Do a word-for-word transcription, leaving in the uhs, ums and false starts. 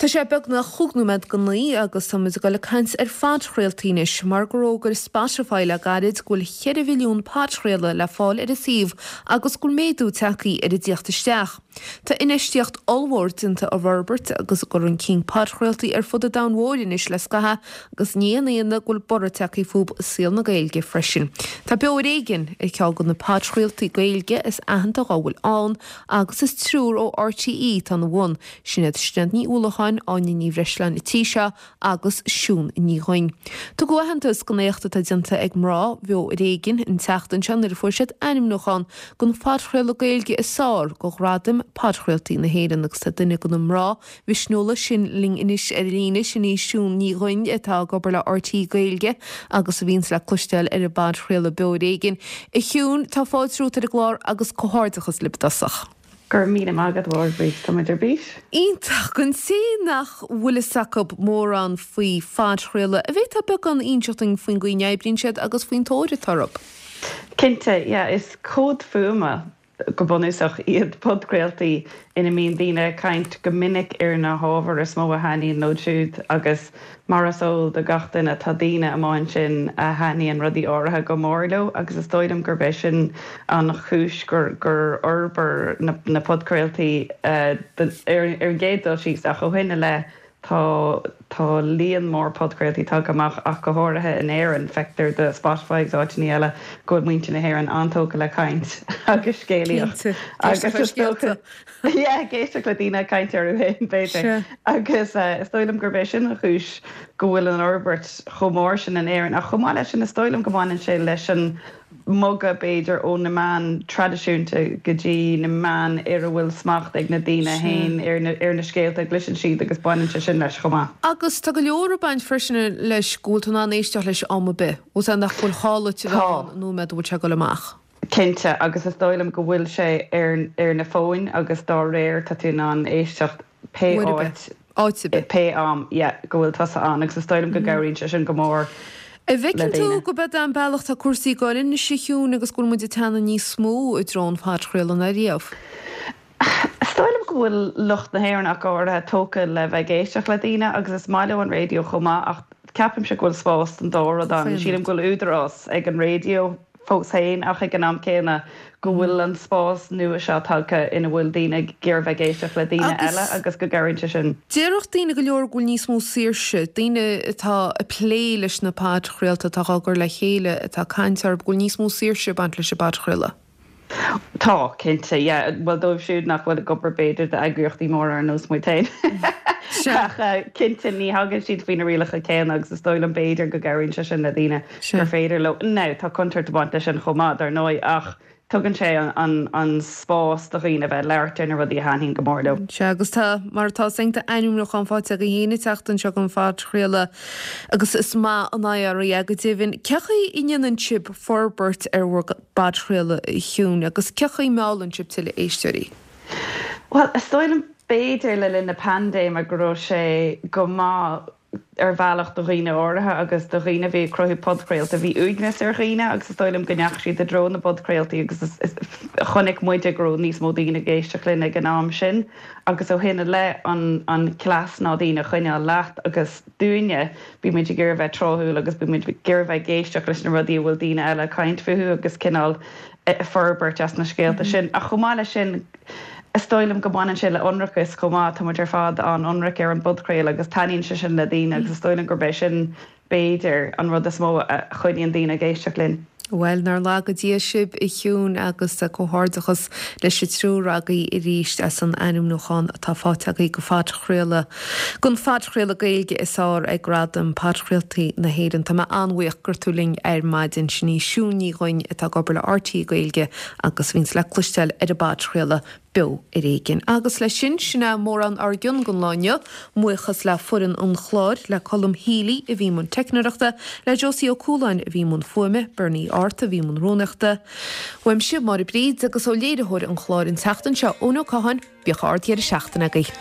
Tá sé beagnach chúig nóiméad go naoi agus táimid ag dul ag caint ar phodchraoltaí anois mar gur fhógair Spotify le gairid go bhfuil cheithre mhilliún podchraoladh le fáil ar a suíomh agus go bhfuil méadú tagtha ar an dtíocht isteach. Tá infheistíocht ollmhór déanta i bhforbairt agus i gcur chun cinn podchraoltaí ar fud an domhain mhóir anois le scaitheamh agus ní haon ionadh go bhfuil borradh tagtha fúthu i saol na Gaeilge freisin. Tá Beo Ar Éigean ar cheann de na podchraoltaí Gaeilge is aitheanta dá bhfuil ann agus is triúr ó RTÉ atá ina bhun, sin iad Sinéad Ní Uallacháin, Áine Ní Bhreisleáin an tí seo agus Siún Ní Dhuinn. Tugadh aitheantas don éacht atá déanta ag mná Bheo Ar Éigean an tseachtain seo nuair a fuair siad ainmniúchán don phodchraoladh Gaeilge is fearr do Ghradaim Podchraoltaí na hÉireann agus tá duine de na mná mhisniúla sin linn anois ar líne, sin í Siún Ní Dhuinn atá ag obair le RTÉ Gaeilge agus a bhíonns le cloisteáil ar an bpodchraoladh Beo Ar Éigean. A Shiún, tá fáilte romhat ar an gclár agus comhghairdeachas libh i dtosach. Go raibh míle maith agat a Mháire, tá muid ar bís. Iontach, don té nach bhfuil fhios acu mórán faoi phodchraoladh, an bhféadfá beagán a inseacht dúinn faoin gcaoi a n-oibríonn siad agus faoin tóir atá orthu. Cinnte, yeah, is comhad fuaime go bunúsach iad podchraoltaí ina mbíonn daoine ag caint go minic ar na hábhair is mó a thaitníonn leo siúd agus mar is eol do gach duine tá daoine amuigh ansin a thaitníonn rudaí áirithe go mór leo agus is dóigh liom gurb é sin an chúis gur gur fhorbair na na podchraoltaí ar ar an gcéad dul síos ach ó shin i leith Tá tá líon mór podchraoltaí tagtha amach ach go háirithe in Éirinn. Feictear do Spotify agus áiteanna eile go bhfuil muintir na hÉireann an-tógtha le caint agus scéalaíocht Cinnte. agus Éisteacht le is dócha scéalta. yeah, ag éisteacht le daoine ag caint orthu féin b'fhéidir. Sea. Agus is dóigh liom gurb é sin an chúis go bhfuil an fhorbairt chomh mór sin in Éirinn. Ach chomh maith leis sin is dóigh liom go mbaineann sé leis an mbogadh b'fhéidir ó na meáin traidisiúnta go dtí na meáin ar a bhfuil smacht ag na daoine Sea. féin ar na ar na scéalta a gcloiseann siad agus baineann sé sin leis chomh maith. Agus tá go leor ag baint freisin leis go bhfuil tú in ann éisteacht leis am ar bith. Bhfuil sé nach bhfuil gá duit a bheith Tá. ann an nóiméad a bhfuil sé ag dul amach. Cinnte, agus is dóigh liom go bhfuil sé ar ar na fóin agus dá réir tá tú in ann éisteacht pé Uair ar bith. áit Áit ar bith. pé am yeah, go bhfuil tusa ann agus is dóigh liom go gcabhraíonn sé sin go mór An le bhfeiceann tú daoine. gurb é an bealach tá cúrsaí ag dul anois a Shiún agus go bhfuil muid ag teannadh níos mó i dtreo an phodchraoladh ná riamh? Is dóigh liom go bhfuil lucht na hÉireann ach go háirithe tógtha le bheith ag éisteacht le daoine agus is maith leo an raidió chomh maith ach ceapaimse go bhfuil spás don dá rud ann. Sílim go bhfuil údarás ag an raidió fós féin ach ag an am céanna go bhfuil an spás nua seo tagtha ina bhfuil daoine ag iarraidh bheith ag éisteacht le daoine eile Agus agus go gcabhraíonn sé sin. Déarfadh daoine go leor go bhfuil níos mó saoirse, daoine atá ag plé leis na podchraolta atá á gcur le chéile atá ag caint orthu go bhfuil níos mó saoirse ag baint leis an bpodchraoladh. Tá, cinnte, yeah. Bhuel dóibh siúd nach bhfuil ag obair b'fhéidir d'eagraíochtaí móra ar nós muid féin. Sea. Ach cinnte ní thagann siad faoi na rialacha céanna agus is dóigh liom b'fhéidir go gcabhraíonn sé sin le daoine Sea. gur féidir leo. Now tá contúirt ag baint leis sin chomh maith dar ndóigh ach tugann sé an an an spás do dhaoine bheith labhairt ar na rudaí a thaitníonn go mór leo. Sea, agus tá, mar atá sin, tá ainmniúchán faighte agaibh féin an tseachtain seo don phodchraoladh agus is maith an I R é go deimhin. Cé chaoi a ndéanann sibh forbairt ar bhur bpodchraoladh, a Shiún, agus cé chaoi a meallann sibh tuilleadh éisteoirí? Bhuel, is dóigh liom b'fhéidir le linn na paindéime go raibh sé go maith ar bhealach do dhaoine áirithe agus do dhaoine a bhí ag cruthú podchraolta. Bhí uaigneas ar dhaoine agus is dóigh liom go ndeachaigh siad i dtreo na bpodchraoltaí agus is, is, chonaic muide go raibh níos mó daoine ag éisteacht linn ag an am sin agus ó shin i leith an, an cleas ná daoine a choinneáil leat agus dúinne bímid ag iarraidh bheith tráthúil agus bímid ag iarraidh bheith ag éisteacht leis na rudaí a bhfuil daoine eile ag caint fúthu agus cineál forbairt as na scéalta sin. Ach chomh maith leis sin, is dóigh liom go mbaineann sé le ionracas chomh maith, tá muid ar fad an-ionraic ar an bpodchraoladh agus taitníonn sé sin le daoine agus is dóigh liom gurb é sin, b'fhéidir, an rud is mó a choinníonn daoine ag éisteacht linn. Bhuel, nár laga Dia sibh, a Shiún, agus comhghairdeachas leis an triúr agaibh arís as an ainmniúchán atá faighte agaibh do phodchraoladh, don phodchraoladh Gaeilge is fearr ag Gradaim Podchraoltaí na hÉireann. Tá mé an-bhuíoch go raibh tú linn ar maidin. Sin í Siún Ní Dhuinn atá ag obair le RTÉ Gaeilge agus a bhíonns le cloisteáil ar an bpodchraoladh Beo Ar Éigean. Agus leis sin, sin é mórán ár gcionn don lá inniu. Buíochas le foireann an chláir, le Colm Healy a bhí i mbun teicneoireachta, le Josie Ó Cualáin a bhí i mbun fuaime, Bernie Art a bhí i mbun rúnaíochta. Uaimse, Máire Bríd, agus ó léiritheoir an chláir an tseachtain seo, Eoin Ó Catháin, bíodh ard-dheireadh seachtaine agaibh.